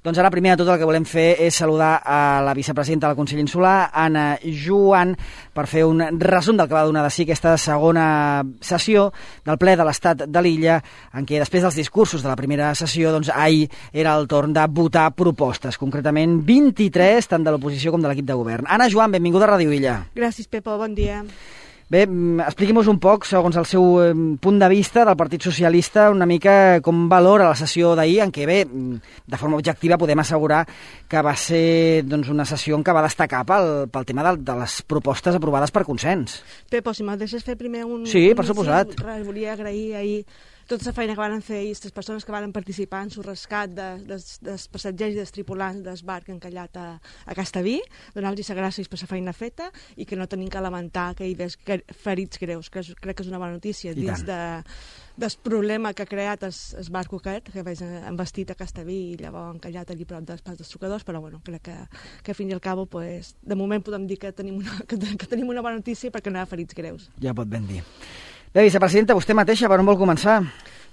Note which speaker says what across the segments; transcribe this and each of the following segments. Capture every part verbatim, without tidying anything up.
Speaker 1: Doncs ara, primer de tot, el que volem fer és saludar a la vicepresidenta del Consell Insular, Anna Joan, per fer un resum del que va donar de si aquesta segona sessió del ple de l'Estat de l'Illa, en què després dels discursos de la primera sessió, doncs ahir era el torn de votar propostes, concretament vint-i-tres, tant de l'oposició com de l'equip de govern. Anna Joan, benvinguda a Ràdio Illa.
Speaker 2: Gràcies, Pepo, bon dia.
Speaker 1: Bé, expliqui'm-nos un poc, segons el seu punt de vista del Partit Socialista, una mica com valora la sessió d'ahir, en què, bé, de forma objectiva podem assegurar que va ser doncs, una sessió en què va destacar pel, pel tema de, de les propostes aprovades per consens.
Speaker 2: Pepo, si me'l deixes fer primer un...
Speaker 1: Sí,
Speaker 2: un
Speaker 1: per suposat.
Speaker 2: Res, volia agrair ahir tota la feina que van fer aquestes persones que van participar en el rescat de, de, dels passatgers i dels tripulants del barc encallat a, a Castellví, donar-los les gràcies per la feina feta i que no tenim que lamentar que hi hagués ferits greus, que és, crec que és una bona notícia dins de, del problema que ha creat el, el barc aquest, que veig embestit a Castellví i llavors encallat allí prop dels pas dels sucadors, però bueno, crec que, que fins i al cabo, pues, de moment podem dir que tenim, una, que, que tenim una bona notícia perquè no hi ha ferits greus.
Speaker 1: Ja pot ben dir. Bé, vicepresidenta, vostè mateixa, per on vol començar?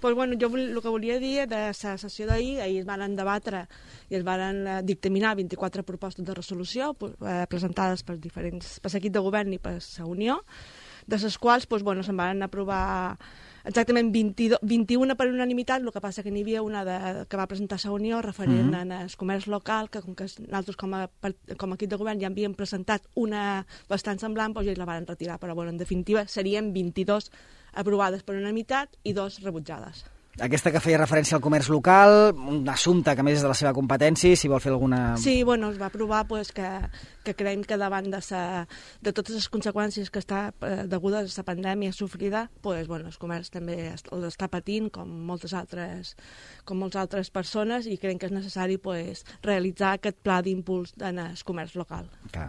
Speaker 2: Pues bueno, jo el que volia dir de la sessió d'ahir, ahir es van debatre i es van dictaminar vint-i-quatre propostes de resolució eh, presentades per diferents, per l'equip de govern i per la Unió, de les quals pues, bueno, se'n van aprovar exactament vint-i-u, vint-i-una per unanimitat, el que passa que n'hi havia una de, que va presentar la Unió referent mm-hmm. al comerç local, que com que nosaltres com a, com a equip de govern ja havíem presentat una bastant semblant, doncs ja la van retirar, però bueno, en definitiva serien vint-i-dos aprovades per unanimitat i dos rebutjades.
Speaker 1: Aquesta que feia referència al comerç local, un assumpte que a més és de la seva competència, si vol fer alguna...
Speaker 2: Sí, bueno, es va aprovar pues, que, que creiem que davant de, sa, de totes les conseqüències que està eh, degudes a la pandèmia sofrida, pues, bueno, el comerç també l'està patint com moltes altres, com moltes altres persones i creiem que és necessari pues, realitzar aquest pla d'impuls en el comerç local.
Speaker 1: Clar.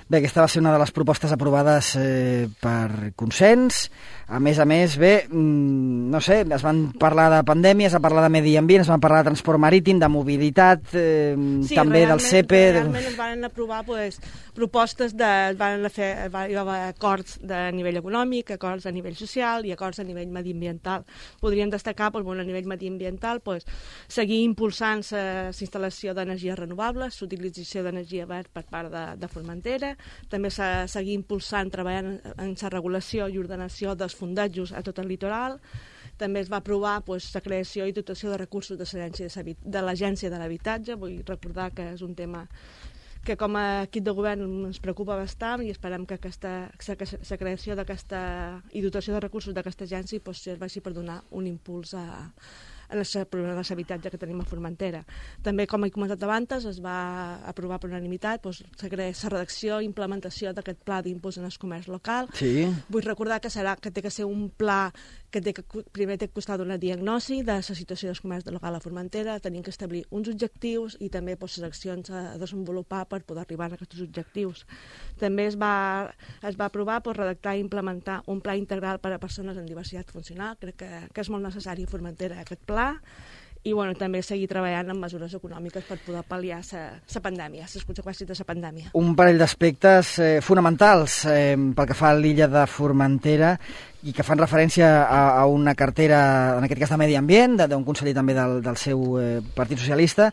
Speaker 1: Bé, aquesta va ser una de les propostes aprovades eh, per consens. A més a més, bé, no sé, es van parlar de pandèmia, es va parlar de medi ambient, es van parlar de transport marítim, de mobilitat, eh,
Speaker 2: sí,
Speaker 1: també del C E P...
Speaker 2: Sí, realment es van aprovar pues, propostes, de, es van fer va, hi va acords de nivell econòmic, acords a nivell social i acords a nivell mediambiental. Podríem destacar pues, bueno, a nivell mediambiental pues, seguir impulsant la instal·lació d'energies renovables, l'utilització d'energia verd per part de, de Formentera, també seguir impulsant, treballant en la regulació i ordenació dels fondejos a tot el litoral. També es va aprovar pues, la creació i dotació de recursos de l'Agència de l'Habitatge. Vull recordar que és un tema que com a equip de govern ens preocupa bastant i esperem que aquesta, la creació d'aquesta i dotació de recursos d'aquesta agència pues, serveixi per donar un impuls a en el problema de l'habitatge que tenim a Formentera. També, com he comentat abans, es va aprovar per unanimitat doncs, la redacció i implementació d'aquest pla d'impuls en el comerç local.
Speaker 1: Sí.
Speaker 2: Vull recordar que serà que té que ser un pla que, té que primer té que costar una diagnosi de la situació del comerç local a Formentera, tenim que establir uns objectius i també doncs, les accions a desenvolupar per poder arribar a aquests objectius. També es va, es va aprovar doncs, redactar i implementar un pla integral per a persones amb diversitat funcional. Crec que, que és molt necessari a Formentera aquest pla. I bueno, també seguir treballant en mesures econòmiques per poder pal·liar la pandèmia, les conseqüències de la pandèmia.
Speaker 1: Un parell d'aspectes eh, fonamentals eh, pel que fa a l'illa de Formentera i que fan referència a, a una cartera, en aquest cas de Medi Ambient, d'un conseller també del, del seu eh, Partit Socialista.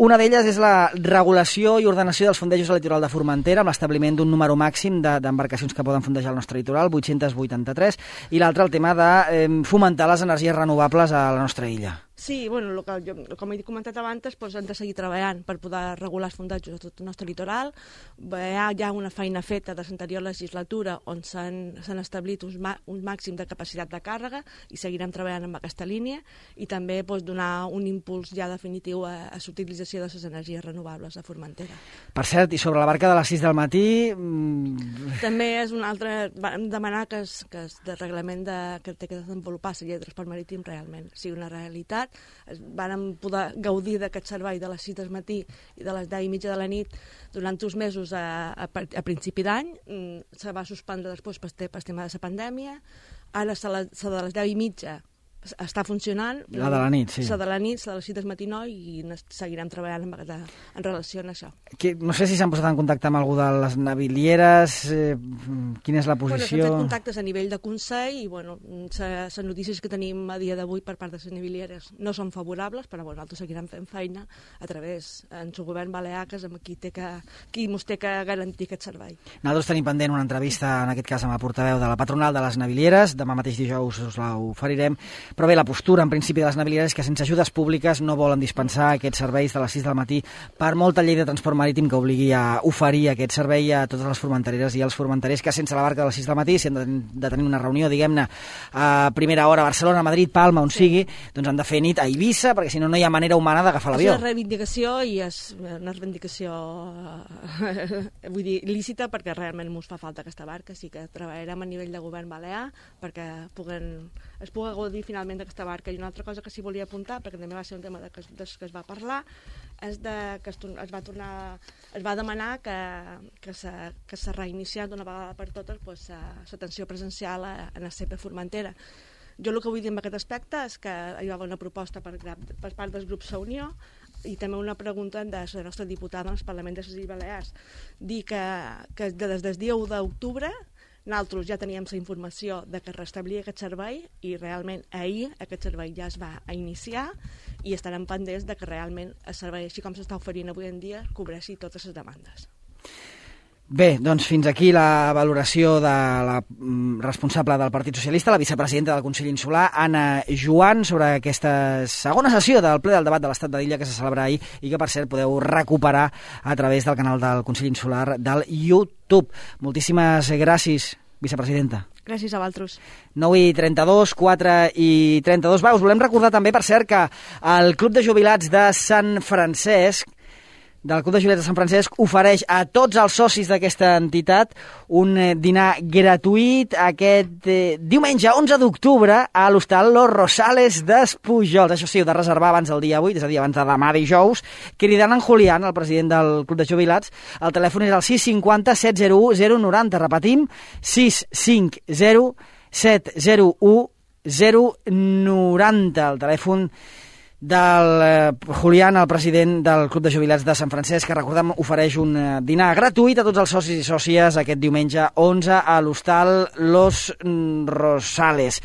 Speaker 1: Una d'elles és la regulació i ordenació dels fondejos al litoral de Formentera, amb l'establiment d'un número màxim d'embarcacions de, que poden fondejar el nostre litoral, vuit-cents vuitanta-tres, i l'altre el tema de eh, fomentar les energies renovables a la nostra illa.
Speaker 2: Sí, bueno, el que jo, com he comentat abans, doncs, hem de seguir treballant per poder regular els fondejos a tot el nostre litoral. Hi ha ja una feina feta de l'anterior legislatura on s'han establit uns, uns màxims de capacitat de càrrega i seguirem treballant amb aquesta línia i també doncs, donar un impuls ja definitiu a, a l'utilització de les energies renovables a Formentera.
Speaker 1: Per cert, i sobre la barca de les sis del matí... Mmm...
Speaker 2: També és un altre... Vam demanar que, es, que es, de reglament de, que té que desenvolupar la llei de transport marítim realment sigui una realitat. Vam poder gaudir d'aquest servei de les sis del matí i de les deu i mitja de la nit durant uns mesos a, a, a principi d'any. Se va suspendre després per, per tema de la pandèmia. Ara la de les deu i mitja està funcionant.
Speaker 1: La de la nit, sí.
Speaker 2: La de la nit, la de les sis del matí no, i seguirem treballant en, en relació a això.
Speaker 1: Que, no sé si s'han posat en contacte amb algú de les navilieres, eh, quina és la posició?
Speaker 2: Bueno, s'han fet contactes a nivell de Consell i bueno, les notícies que tenim a dia d'avui per part de les navilieres no són favorables, però bueno, nosaltres seguirem fent feina a través del govern balear, que és amb qui, té que, qui mos té que garantir aquest servei.
Speaker 1: Nosaltres tenim pendent una entrevista, en aquest cas amb el portaveu de la patronal de les navilieres, demà mateix dijous us la oferirem. Però bé, la postura en principi de les navilieres és que sense ajudes públiques no volen dispensar aquests serveis de les sis del matí per molta llei de transport marítim que obligui a oferir aquest servei a totes les formentereres i els formenterers que sense la barca de les sis del matí, si han de, de tenir una reunió, diguem-ne, a primera hora a Barcelona, Madrid, Palma, on sí. sigui, doncs han de fer nit a Eivissa, perquè si no, no hi ha manera humana d'agafar l'avió.
Speaker 2: És una reivindicació i és una reivindicació vull dir, lícita, perquè realment ens fa falta aquesta barca, sí que treballarem a nivell de govern balear perquè puguen, es pugui gaudir finalment d'aquesta barca. I una altra cosa que s'hi volia apuntar, perquè també va ser un tema de que, de que es va parlar, és de, que es, es va tornar, es va demanar que, que s'ha que reiniciat d'una vegada per totes pues, l'atenció presencial a, a la C P Formentera. Jo el que vull dir en aquest aspecte és que hi va haver una proposta per, per part del grup Sa Unió i també una pregunta de la nostra diputada en el Parlament de les Illes Balears, dir que, que des del dia u d'octubre nosaltres ja teníem la informació de que es restablia aquest servei i realment ahir aquest servei ja es va a iniciar i estarem pendents de que realment el servei, així com s'està oferint avui en dia, cobreixi totes les demandes.
Speaker 1: Bé, doncs fins aquí la valoració de la responsable del Partit Socialista, la vicepresidenta del Consell Insular, Anna Joan, sobre aquesta segona sessió del ple del debat de l'Estat de l'Illa que se celebra ahir i que, per cert, podeu recuperar a través del canal del Consell Insular del YouTube. Moltíssimes gràcies, vicepresidenta.
Speaker 2: Gràcies a vosaltres.
Speaker 1: nou i trenta-dos, quatre i trenta-dos. Va, us volem recordar també, per cert, que el Club de Jubilats de Sant Francesc del Club de Jubilats de Sant Francesc ofereix a tots els socis d'aquesta entitat un dinar gratuït aquest eh, diumenge onze d'octubre a l'hostal Los Rosales d'Espujols. Això sí, heu de reservar abans del dia vuit, és a dir, abans de demà dijous, cridant en Julián, el president del Club de Jubilats. El telèfon és el sis cinquanta set zero u zero noranta. Repetim, sis cinc zero set zero u zero noranta. El telèfon del eh, Julián, el president del Club de Jubilats de Sant Francesc, que, recordem, ofereix un eh, dinar gratuït a tots els socis i sòcies aquest diumenge onze a l'hostal Los Rosales.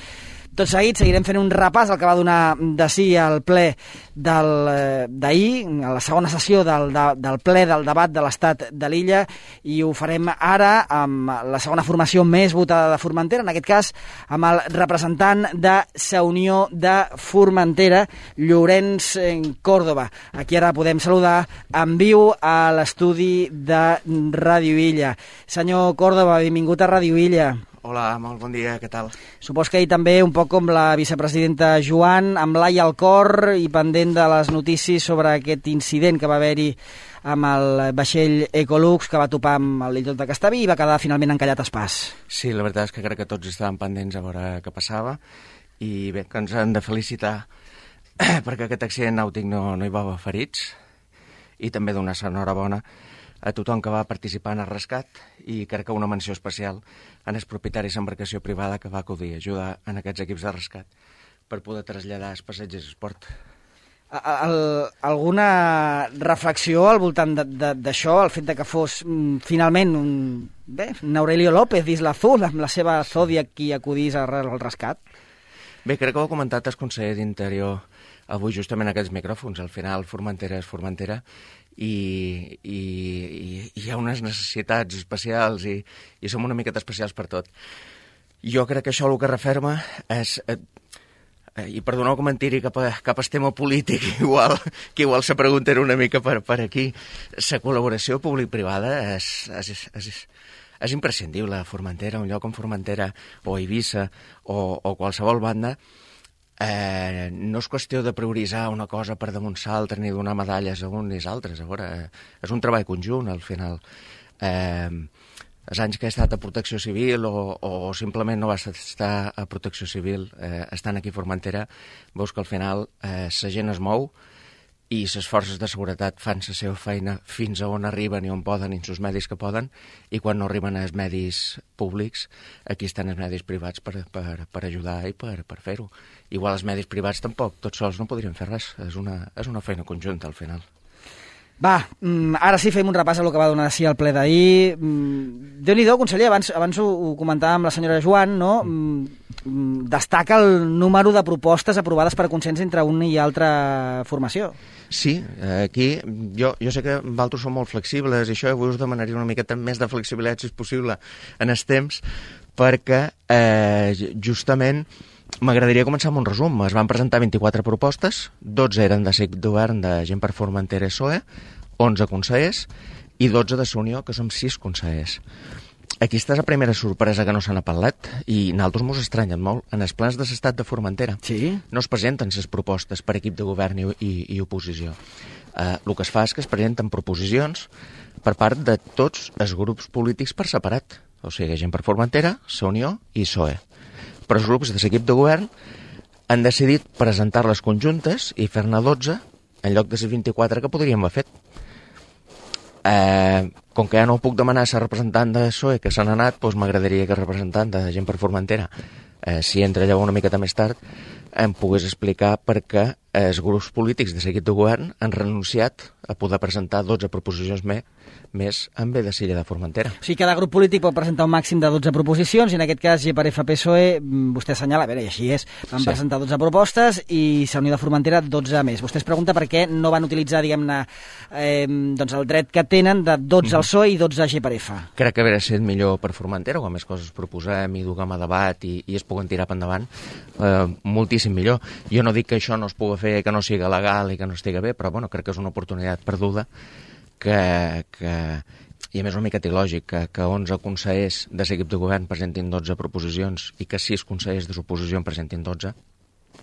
Speaker 1: Tot seguit seguirem fent un repàs al que va donar de si el ple d'ahir, a la segona sessió del, de, del ple del debat de l'Estat de l'Illa, i ho farem ara amb la segona formació més votada de Formentera, en aquest cas amb el representant de Sa Unió de Formentera, Llorenç Córdoba. Aquí ara podem saludar en viu a l'estudi de Ràdio Illa. Senyor Córdoba, benvingut a Ràdio Illa.
Speaker 3: Hola, molt bon dia, què tal?
Speaker 1: Supos que ahir també, un poc com la vicepresidenta Joan, amb l'ai al cor i pendent de les notícies sobre aquest incident que va haver-hi amb el vaixell Ecolux que va topar amb el litoral de Castellví i va quedar finalment encallat a Espàs.
Speaker 3: Sí, la veritat és que crec que tots estàvem pendents a veure què passava i bé, que ens hem de felicitar perquè aquest accident nàutic no, no hi va haver ferits i també donar enhorabona a tothom que va participar en el rescat i crec que una menció especial en els propietaris d'embarcació privada que va acudir a ajudar en aquests equips de rescat per poder traslladar els passatgers d'esport.
Speaker 1: El, alguna reflexió al voltant d'això, el fet de que fos mm, finalment un, bé, un Aurelio López d'Isla Azul amb la seva Zodiac qui acudís al rescat?
Speaker 3: Bé, crec que ho ha comentat el conseller d'Interior avui justament en aquests micròfons. Al final Formentera és Formentera i, i, i hi ha unes necessitats especials i, i som una miqueta especials per tot. Jo crec que això el que referma és, eh, i perdoneu que mentiri cap a, cap a tema polític, igual, que igual se pregunta una mica per, per aquí, la col·laboració públic-privada és, és, és, és imprescindible a Formentera, un lloc com Formentera o Eivissa o, o qualsevol banda. Eh, no és qüestió de prioritzar una cosa per damunt l'altra ni donar medalles a un ni als altres. A veure, eh, és un treball conjunt, al final. Eh, els anys que he estat a Protecció Civil o, o simplement no vas estar a Protecció Civil, eh, estant aquí a Formentera, veus que al final eh, la gent es mou i les forces de seguretat fan la seva feina fins a on arriben i on poden, i els medis que poden, i quan no arriben als medis públics, aquí estan els medis privats per, per, per ajudar i per, per fer-ho. Igual els medis privats tampoc, tots sols no podrien fer res, és una, és una feina conjunta al final.
Speaker 1: Va, ara sí fem un repàs a el que va donar sí al ple d'ahir. Déu-n'hi-do, conseller, abans, abans ho, ho comentàvem amb la senyora Joan, no? Destaca el número de propostes aprovades per consens entre una i altra formació.
Speaker 3: Sí, aquí jo, jo sé que vosaltres som molt flexibles i això avui us demanaria una miqueta més de flexibilitat, si és possible, en els temps, perquè eh, justament m'agradaria començar amb un resum. Es van presentar vint-i-quatre propostes, dotze eren de l'equip de govern de Gent per Formentera i S O E, onze consellers i dotze de la Unió, que som sis consellers. Aquesta és la primera sorpresa que no se n'ha parlat i nosaltres mos estranyen molt. En els plans de l'estat de Formentera
Speaker 1: sí?
Speaker 3: no es presenten les propostes per equip de govern i, i, i oposició. Eh, el que es fa és que es presenten proposicions per part de tots els grups polítics per separat. O sigui, Gent per Formentera, la Unió i S O E. Però els grups de l'equip de govern han decidit presentar-les conjuntes i fer-ne dotze en lloc de les vint-i-quatre que podríem haver fet. Eh, com que ja no puc demanar a la representant de S O E que s'han anat, doncs m'agradaria que el representant de Gent per Formentera, eh, si entra llavors una miqueta més tard, em pogués explicar per què els grups polítics de l'equip de govern han renunciat a poder presentar dotze proposicions més, més en bé de Silla de Formentera.
Speaker 1: O sigui, cada grup polític pot presentar un màxim de dotze proposicions i en aquest cas G per F P S O E, vostè assenyala, a veure, i així és, van sí. presentar dotze propostes i la Unió de Formentera dotze més. Vostè es pregunta per què no van utilitzar, diguem-ne, eh, doncs el dret que tenen de dotze al S O E i dotze a G per F.
Speaker 3: Crec que hauria estat millor per Formentera, quan més coses proposem i duguem a debat i, i es puguen tirar per endavant, eh, moltíssim millor. Jo no dic que això no es pugui fer, que no sigui legal i que no estigui bé, però bueno, crec que és una oportunitat perduda que, que i a més una mica il·lògic que, que onze consellers de l'equip de govern presentin dotze proposicions i que sis consellers de l'oposició en presentin dotze,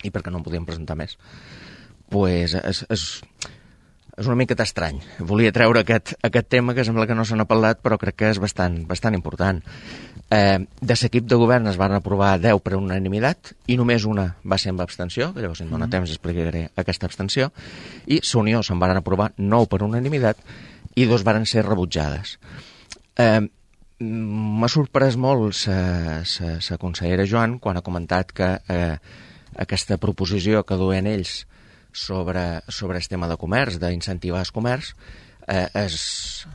Speaker 3: i perquè no en podien presentar més, pues és, és, és una miqueta estrany. Volia treure aquest, aquest tema que sembla que no se n'ha parlat, però crec que és bastant, bastant important. Eh, de l'equip de govern es van aprovar deu per unanimitat i només una va ser amb abstenció, que llavors si em dóna temps explicaré aquesta abstenció, i la Unió se'n van aprovar nou per unanimitat i dos varen ser rebutjades. Eh, M'ha sorprès molt la consellera Joan quan ha comentat que eh, aquesta proposició que duen ells sobre, sobre el tema de comerç, d'incentivar el comerç, eh, és...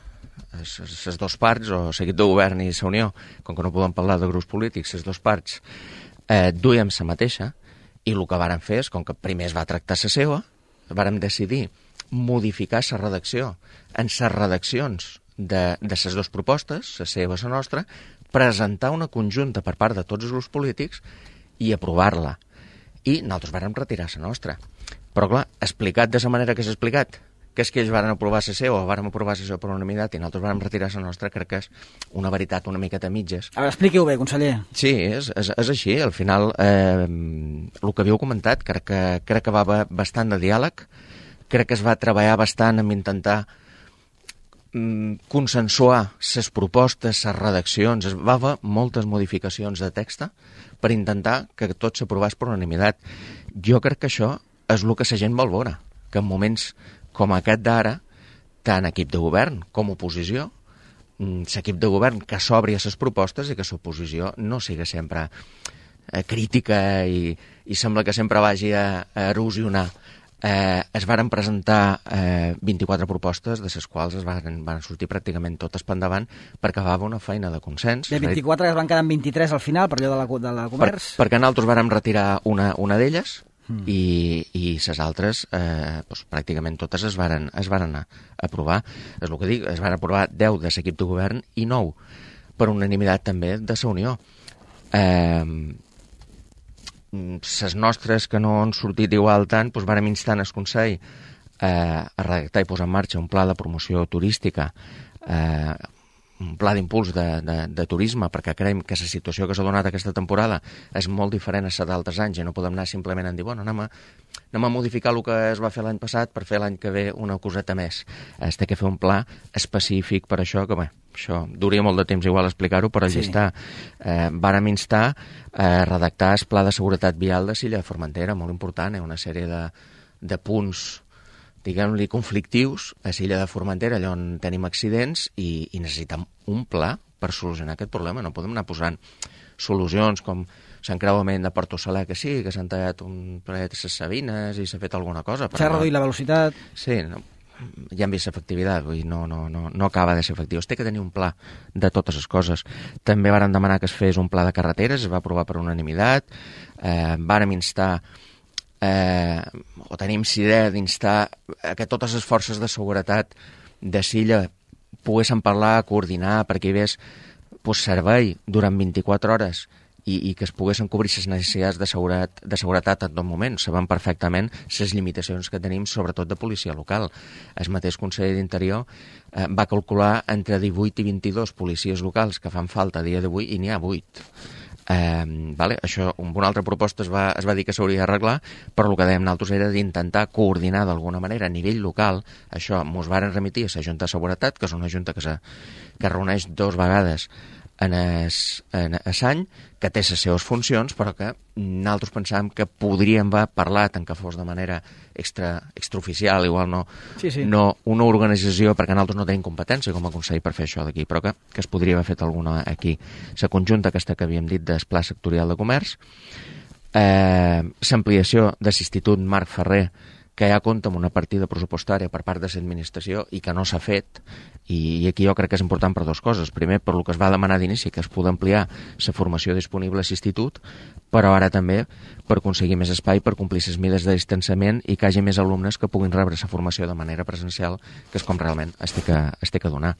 Speaker 3: les dues parts, o l'equip de govern i la Unió, com que no podem parlar de grups polítics, les dues parts eh, duiem la mateixa, i el que varen fer és, com que primer es va tractar la seva, vàrem decidir modificar la redacció en les redaccions de, de les dues propostes, la seva i la nostra, presentar una conjunta per part de tots els grups polítics i aprovar-la. I nosaltres vàrem retirar la nostra. Però clar, explicat de la manera que s'ha explicat, que és que ells van aprovar la seva o van aprovar la seva per unanimitat i nosaltres vam retirar la nostra, crec que és una veritat una miqueta a mitges.
Speaker 1: A veure, expliqui-ho bé, conseller.
Speaker 3: Sí, és, és, és així. Al final, eh, el que havíeu comentat, crec que, crec que va haver bastant de diàleg, crec que es va treballar bastant en intentar mm, consensuar les propostes, les redaccions, es va haver moltes modificacions de text per intentar que tot s'aprovés per unanimitat. Jo crec que això és el que la gent vol veure, que en moments com aquest d'ara, tant equip de govern com oposició, l'equip de govern que s'obri a les propostes i que l'oposició no sigui sempre eh, crítica i, i sembla que sempre vagi a, a erosionar. Eh, es varen presentar eh, vint-i-quatre propostes, de les quals es van, van sortir pràcticament totes per endavant perquè va haver una feina de consens.
Speaker 1: De vint-i-quatre que es van quedar en vint-i-tres al final, per allò de la, de la comerç?
Speaker 3: Per, perquè nosaltres vàrem retirar una, una d'elles, Mm. i, i les altres eh, doncs, pràcticament totes es varen, es varen aprovar. És el que dic, es van aprovar deu de l'equip de govern i nou per unanimitat també de la Unió. Eh, les nostres que no han sortit igual tant, doncs vàrem instar el Consell eh, a redactar i posar en marxa un pla de promoció turística, eh, un pla d'impuls de, de, de turisme, perquè creiem que la situació que s'ha donat aquesta temporada és molt diferent a la d'altres anys i no podem anar simplement a dir, bueno, anem a, anem a modificar el que es va fer l'any passat per fer l'any que ve una coseta més. Es té que fer un pla específic per això, que bé, això duria molt de temps igual explicar-ho, però allà sí. està. Eh, vàrem instar a redactar el pla de seguretat vial de Silla de Formentera, molt important, eh? Una sèrie de, de punts diguem-li, conflictius a l'illa de Formentera, allà on tenim accidents, i, i necessitem un pla per solucionar aquest problema. No podem anar posant solucions com l'encreuament de Porto Saler, que sí, que s'han tallat un parell de les Sabines i s'ha fet alguna cosa.
Speaker 1: S'ha reduït la velocitat.
Speaker 3: Sí, no, ja hem vist efectivitat, vull dir, no, no, no, no acaba de ser efectiu. Es té que tenir un pla de totes les coses. També varen demanar que es fes un pla de carreteres, es va aprovar per unanimitat, eh, vàrem instar, eh, o tenim idea d'instar que totes les forces de seguretat de Silla poguessin parlar, coordinar, perquè hi hagués pues, servei durant vint-i-quatre hores i, i que es poguessin cobrir les necessitats de seguretat, de seguretat en tot moment. Sabem perfectament les limitacions que tenim, sobretot de policia local. El mateix conseller d'Interior eh, va calcular entre divuit i vint-i-dos policies locals que fan falta a dia d'avui i n'hi ha vuit. Eh, vale? Això, una altra proposta es va, es va dir que s'hauria d'arreglar, però el que dèiem nosaltres era d'intentar coordinar d'alguna manera a nivell local. Això mos varen remitir a la Junta de Seguretat, que és una junta que, se, que es reuneix dos vegades en es, en es any, que té les seves funcions, però que nosaltres pensàvem que podríem haver parlat, en que fos de manera extra, extraoficial, igual no,
Speaker 1: sí, sí.
Speaker 3: no una organització, perquè nosaltres no tenim competència com a Consell per fer això d'aquí, però que, que es podria haver fet alguna aquí. La conjunta aquesta que havíem dit del Pla Sectorial de Comerç, eh, l'ampliació de l'Institut Marc Ferrer, que ja compta amb una partida pressupostària per part de l'administració i que no s'ha fet, i, i aquí jo crec que és important per dues coses. Primer, per lo que es va demanar d'inici, que es pugui ampliar la formació disponible a l'institut, però ara també per aconseguir més espai per complir les mides de distanciament i que hi hagi més alumnes que puguin rebre la formació de manera presencial, que és com realment es té que, es té que donar.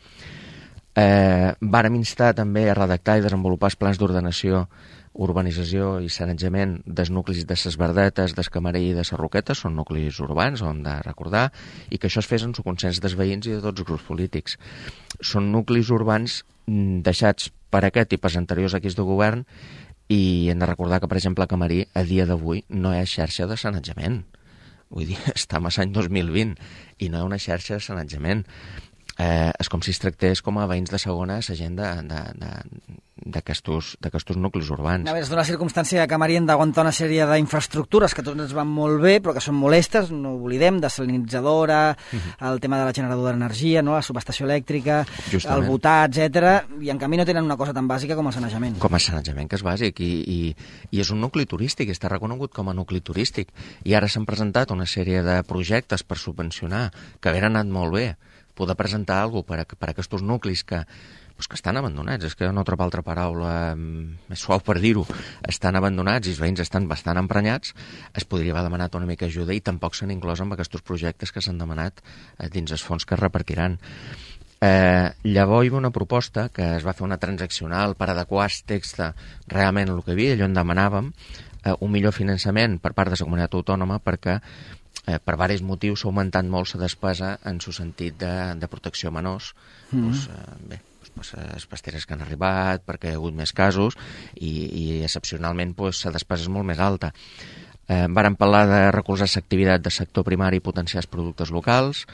Speaker 3: Eh, vàrem instar també a redactar i desenvolupar els plans d'ordenació, urbanització i sanejament dels nuclis de ses Verdetes, des Camarell i de ses Roquetes, són nuclis urbans, ho hem de recordar, i que això es fes en el consens dels veïns i de tots els grups polítics. Són nuclis urbans deixats per aquest i per anteriors equips de govern, i hem de recordar que, per exemple, a Camarell, a dia d'avui, no hi ha xarxa de sanejament. Vull dir, estem a l'any dos mil vint i no hi ha una xarxa de sanejament. Eh, és com si es tractés com a veïns de segona la gent d'aquests nuclis urbans.
Speaker 1: A veure, és d'una circumstància que Camarell hem d'aguantar una sèrie d'infraestructures que tots ens van molt bé, però que són molestes, no ho oblidem, desalinitzadora, uh-huh. el tema de la generadora d'energia, no? La subestació elèctrica, justament. El votar, etcètera, i en canvi no tenen una cosa tan bàsica com el sanejament.
Speaker 3: Com el sanejament, que és bàsic, i, i, i és un nucli turístic, està reconegut com a nucli turístic, i ara s'han presentat una sèrie de projectes per subvencionar, que havien anat molt bé, poder presentar alguna cosa per, per a aquests nuclis que, pues, que estan abandonats, és que no trobo altra paraula més suau per dir-ho, estan abandonats i els veïns estan bastant emprenyats, es podria haver demanat una mica ajuda i tampoc s'han inclòs amb aquests projectes que s'han demanat dins els fons que es repartiran. Eh, llavors hi va una proposta que es va fer una transaccional per adequar el text realment el que hi havia, allò en demanàvem, eh, un millor finançament per part de la comunitat autònoma perquè Eh, per diversos motius s'ha augmentat molt la despesa en el sentit de, de protecció a menors. Mm-hmm. Pues, eh, bé, pues, les pasteres que han arribat, perquè hi ha hagut més casos i, i excepcionalment pues, la despesa és molt més alta. Eh, vàrem parlar de recolzar l'activitat del sector primari i potenciar els productes locals.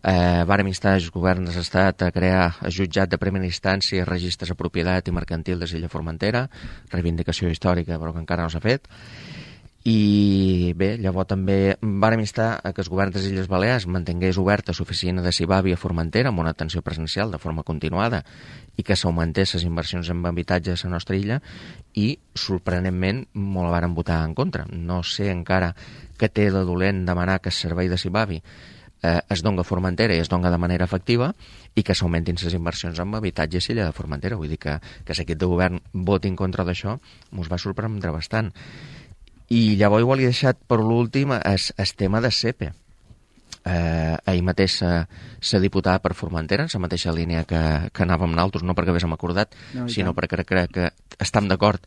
Speaker 3: Eh, vàrem instar els governs de l'Estat a crear el jutjat de primera instància, registres de propietat i mercantil de l'illa Formentera, reivindicació històrica però que encara no s'ha fet. I bé, llavors també vàrem instar a que el govern de les Illes Balears mantingués oberta l'oficina de Cibavi a Formentera amb una atenció presencial de forma continuada i que s'augmentés les inversions en habitatge a la nostra illa i, sorprenentment, molt la varen votar en contra. No sé encara què té de dolent demanar que el servei de Cibavi eh, es doni a Formentera i es doni de manera efectiva i que s'augmentin les inversions en habitatge a l'illa de Formentera. Vull dir que, que l'equip de govern voti en contra d'això mos va sorprendre bastant. I llavors igual he deixat per l'últim el tema de S E P E. Eh, ahir mateix s'ha diputat per Formentera, en la mateixa línia que, que anàvem nosaltres, no perquè haguéssim acordat, no, sinó perquè crec que estem d'acord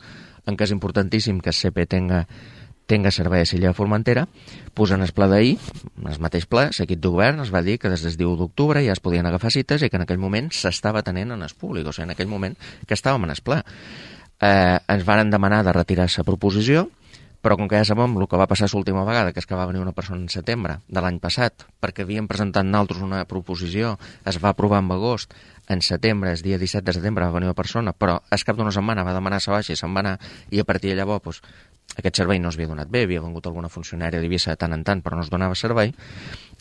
Speaker 3: en que és importantíssim que el S E P E tenga, tenga servei a l'illa de Formentera. Pues en el pla d'ahir, en el mateix ple, l'equip de govern es va dir que des del diu d'octubre ja es podien agafar cites i que en aquell moment s'estava tenint en el públic, o sigui, en aquell moment que estàvem en el ple. Eh, ens varen demanar de retirar la proposició, però com que ja sabem el que va passar l'última vegada, que és que va venir una persona en setembre de l'any passat, perquè havíem presentat nosaltres una proposició, es va aprovar en agost, en setembre, el dia disset de setembre va venir una persona, però al cap d'una setmana va demanar la baixa i se'n va anar, i a partir de llavors pues, aquest servei no s'havia donat bé, havia vengut alguna funcionària d'Eivissa de tant en tant, però no es donava servei,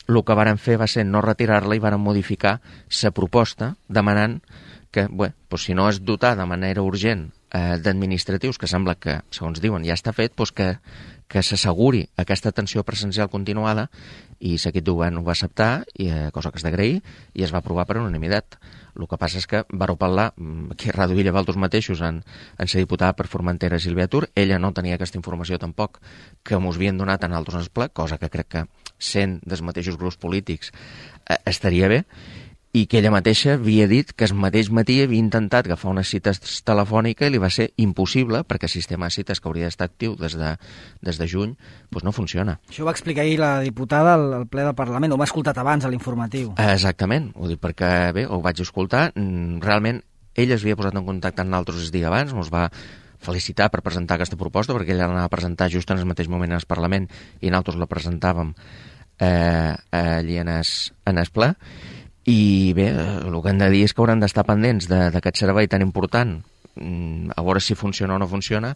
Speaker 3: el que varen fer va ser no retirar-la i varen modificar la proposta demanant que, bé, doncs si no es dotar de manera urgent eh, d'administratius, que sembla que, segons diuen, ja està fet, doncs que, que s'asseguri aquesta atenció presencial continuada, i l'equip de govern ho va acceptar, i, eh, cosa que és d'agrair, i es va aprovar per unanimitat. El que passa és que vareu parlar, aquí a Ràdio Villa Valdos mateixos, en, en ser diputada per Formentera Sílvia Tur, ella no tenia aquesta informació tampoc que mos havien donat en altres en el ple, cosa que crec que, sent dels mateixos grups polítics, eh, estaria bé, i que ella mateixa havia dit que el mateix matí havia intentat agafar una cita telefònica i li va ser impossible, perquè el sistema de cites que hauria d'estar actiu des de, des de juny doncs no funciona.
Speaker 1: Això ho va explicar ahir la diputada al, al ple del Parlament, ho m'ha escoltat abans a l'informatiu.
Speaker 3: Exactament, ho dic perquè bé, ho vaig escoltar, realment ella es havia posat en contacte amb nosaltres el dia abans, ens va felicitar per presentar aquesta proposta, perquè ella l'anava a presentar just en el mateix moment al Parlament i nosaltres la presentàvem eh, allí en el, en el ple. I bé, el que hem de dir és que hauran d'estar pendents d'aquest servei tan important, a veure si funciona o no funciona,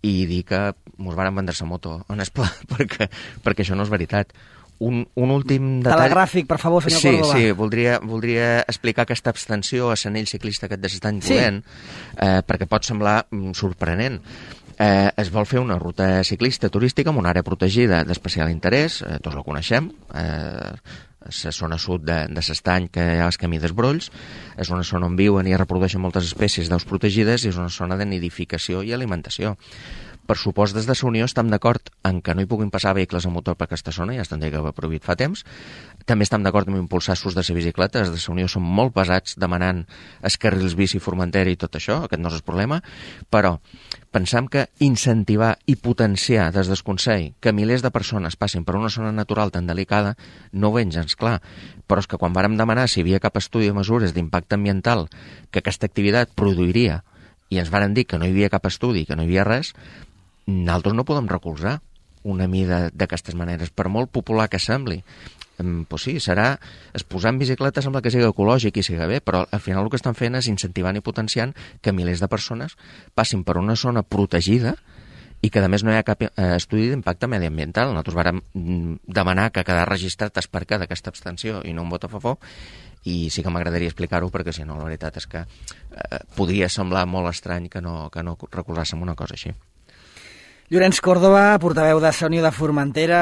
Speaker 3: i dir que ens van vendre la moto en el pla, perquè, perquè això no és veritat. Un, un últim detall...
Speaker 1: Telegràfic, per favor, senyor
Speaker 3: sí,
Speaker 1: Córdoba.
Speaker 3: Sí, voldria, voldria explicar aquesta abstenció a l'anell ciclista aquest de l'estan volent, sí. eh, perquè pot semblar sorprenent. Eh, es vol fer una ruta ciclista turística en una àrea protegida d'especial interès, eh, tots la coneixem, eh, la zona sud de, de l'Estany, que hi ha el camí dels Brolls, és una zona on viuen i reprodueixen moltes espècies d'aus protegides i és una zona de nidificació i alimentació. Per supost, des de la Unió estem d'acord en que no hi puguin passar vehicles a motor per aquesta zona, ja estan que va prohibit fa temps. També estem d'acord en impulsar l'ús de la bicicleta, des de la Unió són molt pesats demanant els carrils bici Formentera i tot això, aquest no és el problema, però pensam que incentivar i potenciar des del Consell que milers de persones passin per una zona natural tan delicada no ho veig gens clar, però és que quan vàrem demanar si hi havia cap estudi de mesures d'impacte ambiental que aquesta activitat produiria i ens varen dir que no hi havia cap estudi, que no hi havia res, nosaltres no podem recolzar una mida d'aquestes maneres, per molt popular que sembli. Pues sí, serà, es posar en bicicleta sembla que sigui ecològic i sigui bé, però al final el que estan fent és incentivant i potenciant que milers de persones passin per una zona protegida i que a més no hi ha cap estudi d'impacte mediambiental. Nosaltres vàrem demanar que quedar registrat el perquè d'aquesta abstenció i no un vot a favor, i sí que m'agradaria explicar-ho perquè si no la veritat és que eh, podria semblar molt estrany que no, que no recolzàssim una cosa així.
Speaker 1: Llorenç Córdoba, portaveu de la Unió de Formentera,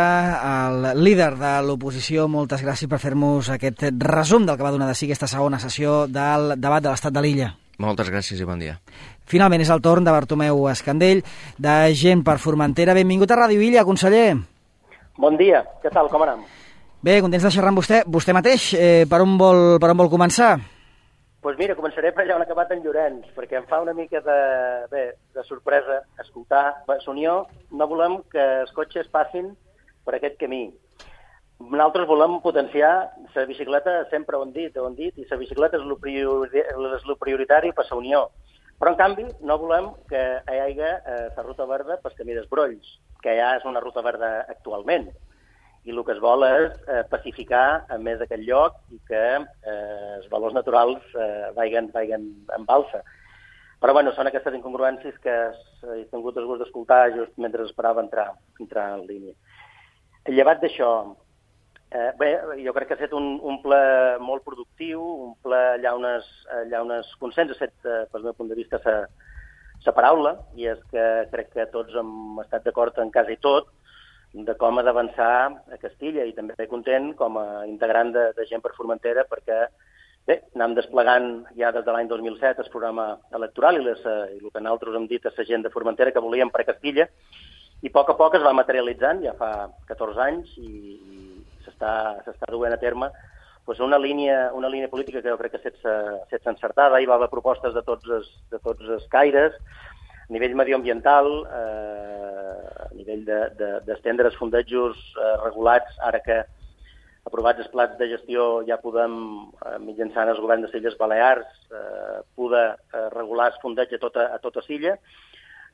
Speaker 1: el líder de l'oposició, moltes gràcies per fer-nos aquest resum del que va donar de si aquesta segona sessió del debat de l'estat de l'illa.
Speaker 3: Moltes gràcies i bon dia.
Speaker 1: Finalment és el torn de Bartomeu Escandell, de Gent per Formentera. Benvingut a Ràdio Villa, conseller.
Speaker 4: Bon dia, què tal, com anem?
Speaker 1: Bé, contents de xerrar amb vostè. Vostè mateix, eh, per, on vol, per on vol començar?
Speaker 4: Doncs pues mira, començaré per allà on ha acabat en Llorenç, perquè em fa una mica de, bé, de sorpresa escoltar. A Unió no volem que els cotxes passin per aquest camí. Nosaltres volem potenciar la bicicleta, sempre ho hem dit, ho hem dit, i la bicicleta és el priori, prioritari per la Unió. Però, en canvi, no volem que hi hagi eh, la ruta verda pel camí dels Brolls, que ja és una ruta verda actualment. I el que es vol és eh, pacificar a més aquest lloc i que eh, els valors naturals eh, vagin, vagin en balsa. Però bueno, són aquestes incongruències que he tingut el gust d'escoltar just mentre esperava entrar, entrar en línia. Llevat d'això, eh, bé, jo crec que ha estat un, un ple molt productiu, un ple allà on es, allà on es consens, ha estat, eh, pel meu punt de vista, sa, sa paraula, i és que crec que tots hem estat d'acord en quasi tot, de com ha d'avançar a Castilla, i també content com a integrant de, de Gent per Formentera, perquè bé, anem desplegant ja des de l'any dos mil set el programa electoral i, les, i el que nosaltres hem dit a la gent de Formentera que volíem per a Castilla, i a poc a poc es va materialitzant, ja fa catorze anys, i, i s'està duent a terme pues una, línia, una línia política que jo crec que s'ha encertada. Hi va haver propostes de tots els, de tots els caires, a nivell medioambiental, eh, a nivell d'estendre de, de, els fondejos eh, regulats, ara que aprovats els plans de gestió ja podem, eh, mitjançant el govern de les Illes Balears, eh, poder eh, regular el fondeig a tota, a tota l'illa.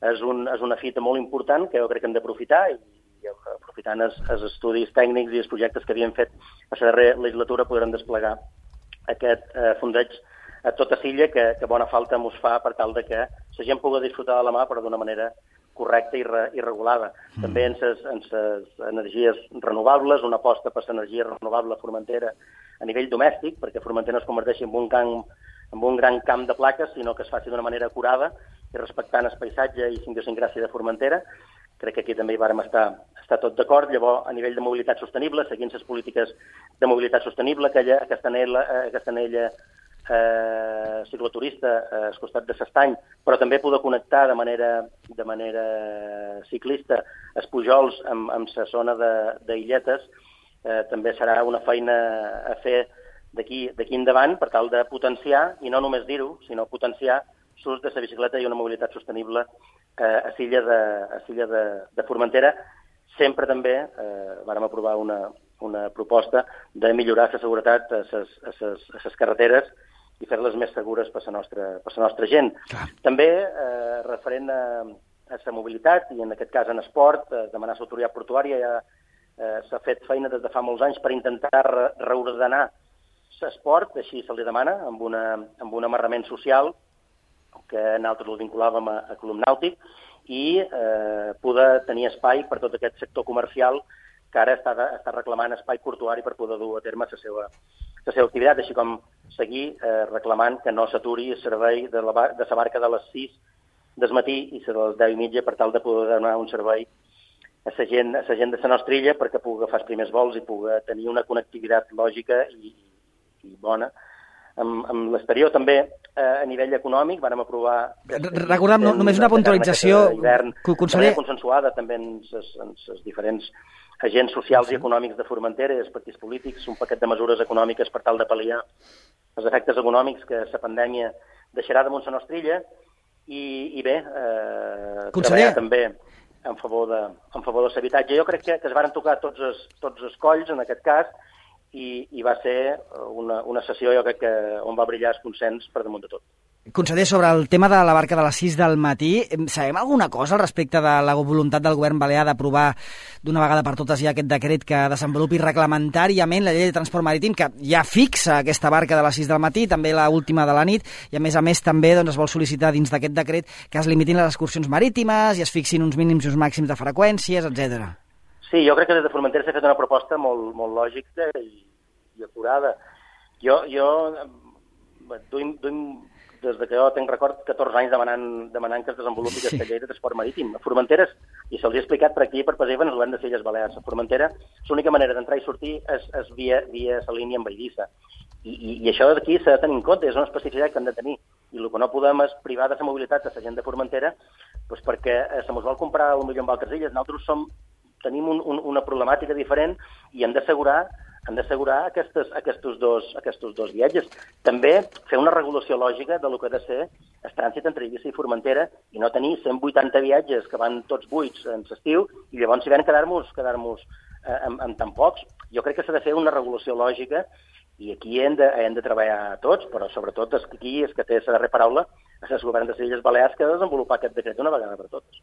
Speaker 4: És, un, és una fita molt important que jo crec que hem d'aprofitar, i, i aprofitant els, els estudis tècnics i els projectes que havíem fet a la darrera legislatura podrem desplegar aquest eh, fondeig a tota l'illa, que, que bona falta mos fa per tal de que la gent pugui disfrutar de la mà, però d'una manera correcta i, re, i regulada. Mm. També en ses, en ses energies renovables, una aposta per l'energia renovable a Formentera a nivell domèstic, perquè Formentera no es converteixi en un, camp, en un gran camp de plaques, sinó que es faci d'una manera acurada i respectant el paisatge i idiosincràsia de Formentera. Crec que aquí també hi vàrem estar, estar tot d'acord. Llavors, a nivell de mobilitat sostenible, seguint les polítiques de mobilitat sostenible, aquella, aquesta anella, aquesta anella eh, cicloturista eh, al costat de l'Estany, però també poder connectar de manera, de manera ciclista els Pujols amb, amb la zona d'Illetes, eh, també serà una feina a fer d'aquí endavant per tal de potenciar, i no només dir-ho, sinó potenciar l'ús de la bicicleta i una mobilitat sostenible eh, a l'illa de, a l'illa de, de Formentera. Sempre també eh, vàrem aprovar una, una proposta de millorar la seguretat a les carreteres i fer-les més segures per la nostra, per la nostra gent. Clar. També, eh, referent a, a la mobilitat, i en aquest cas en esport, eh, demanar l'autoritat portuària, ja eh, s'ha fet feina des de fa molts anys per intentar re reordenar l'esport, així se li demana, amb, una, amb un amarrament social, que nosaltres el vinculàvem a, a Club Nàutic, i eh, poder tenir espai per tot aquest sector comercial que ara està, està reclamant espai portuari per poder dur a terme la seva, la seva activitat, així com seguir eh, reclamant que no s'aturi el servei de la, de la barca de les sis del matí i de les deu i mitja per tal de poder donar un servei a la gent, a la gent de la nostra illa perquè pugui agafar els primers vols i pugui tenir una connectivitat lògica i, i bona amb, amb l'exterior. També eh, a nivell econòmic vàrem aprovar...
Speaker 1: Recordem, no, només una puntualització,
Speaker 4: conseller, consensuada també en els diferents agents socials i econòmics de Formentera i els partits polítics, un paquet de mesures econòmiques per tal de pal·liar els efectes econòmics que la pandèmia deixarà damunt la nostra illa i, i bé, eh, treballar també en favor de, en favor de l'habitatge. Jo crec que, que es varen tocar tots els, tots els colls en aquest cas i, i va ser una, una sessió, jo crec que on va brillar el consens per damunt de tot.
Speaker 1: Conseller, sobre el tema de la barca de les sis del matí, sabem alguna cosa al respecte de la voluntat del govern balear d'aprovar d'una vegada per totes ja aquest decret que desenvolupi reglamentàriament la llei de transport marítim, que ja fixa aquesta barca de les sis del matí, també la última de la nit, i a més a més també doncs, es vol sol·licitar dins d'aquest decret que es limitin les excursions marítimes i es fixin uns mínims i uns màxims de freqüències, etcètera.
Speaker 4: Sí, jo crec que des de Formentera s'ha fet una proposta molt, molt lògica i, i acurada. Jo, jo duim, duim des de que jo tenc record catorze anys demanant, demanant que es desenvolupi aquesta llei de transport marítim. A Formentera, i se'ls ha explicat per aquí per Pesseven, el govern de les Illes Balears. A Formentera, l'única manera d'entrar i sortir és, és via, via la línia amb Eivissa. I, i, I això d'aquí s'ha de tenir en compte, és una especificitat que hem de tenir. I el que no podem és privar de la mobilitat a la gent de Formentera doncs perquè se mos vol comprar potser amb altres illes. Nosaltres som, tenim un, un, una problemàtica diferent i hem d'assegurar han d'assegurar aquests, aquests, dos, aquests dos viatges. També fer una regulació lògica de lo que ha de ser el trànsit entre Eivissa i Formentera i no tenir cent vuitanta viatges que van tots buits en l'estiu i llavors si ven quedar-nos quedar-nos eh, amb, amb tan pocs. Jo crec que s'ha de fer una regulació lògica i aquí hem de, hem de treballar tots, però sobretot és que aquí és que té la darrera paraula és el govern de les Illes Balears que ha de desenvolupar aquest decret una vegada per totes.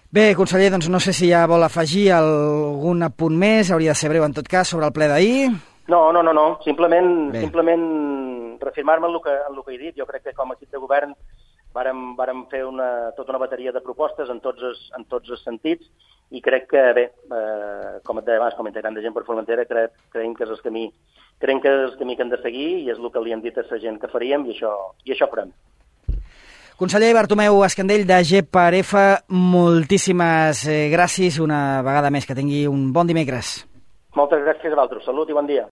Speaker 1: Bé, conseller, doncs no sé si ja vol afegir algun apunt més, hauria de ser breu en tot cas, sobre el ple d'ahir.
Speaker 4: No, no, no, no. Simplement, simplement reafirmar-me en el que, en el que he dit. Jo crec que com a equip de govern vàrem, vàrem fer una, tota una bateria de propostes en tots els, en tots els sentits i crec que, bé, eh, com et deia abans, com a integrant de gent per Formentera, cre, creiem que és el camí, creiem que és el camí que hem de seguir i és el que li hem dit a la gent que faríem i això, i això farem.
Speaker 1: Conseller Bartomeu Escandell, de G per F, moltíssimes gràcies una vegada més. Que tingui un bon dimecres.
Speaker 4: Moltes gràcies a vosaltres. Salut i bon dia.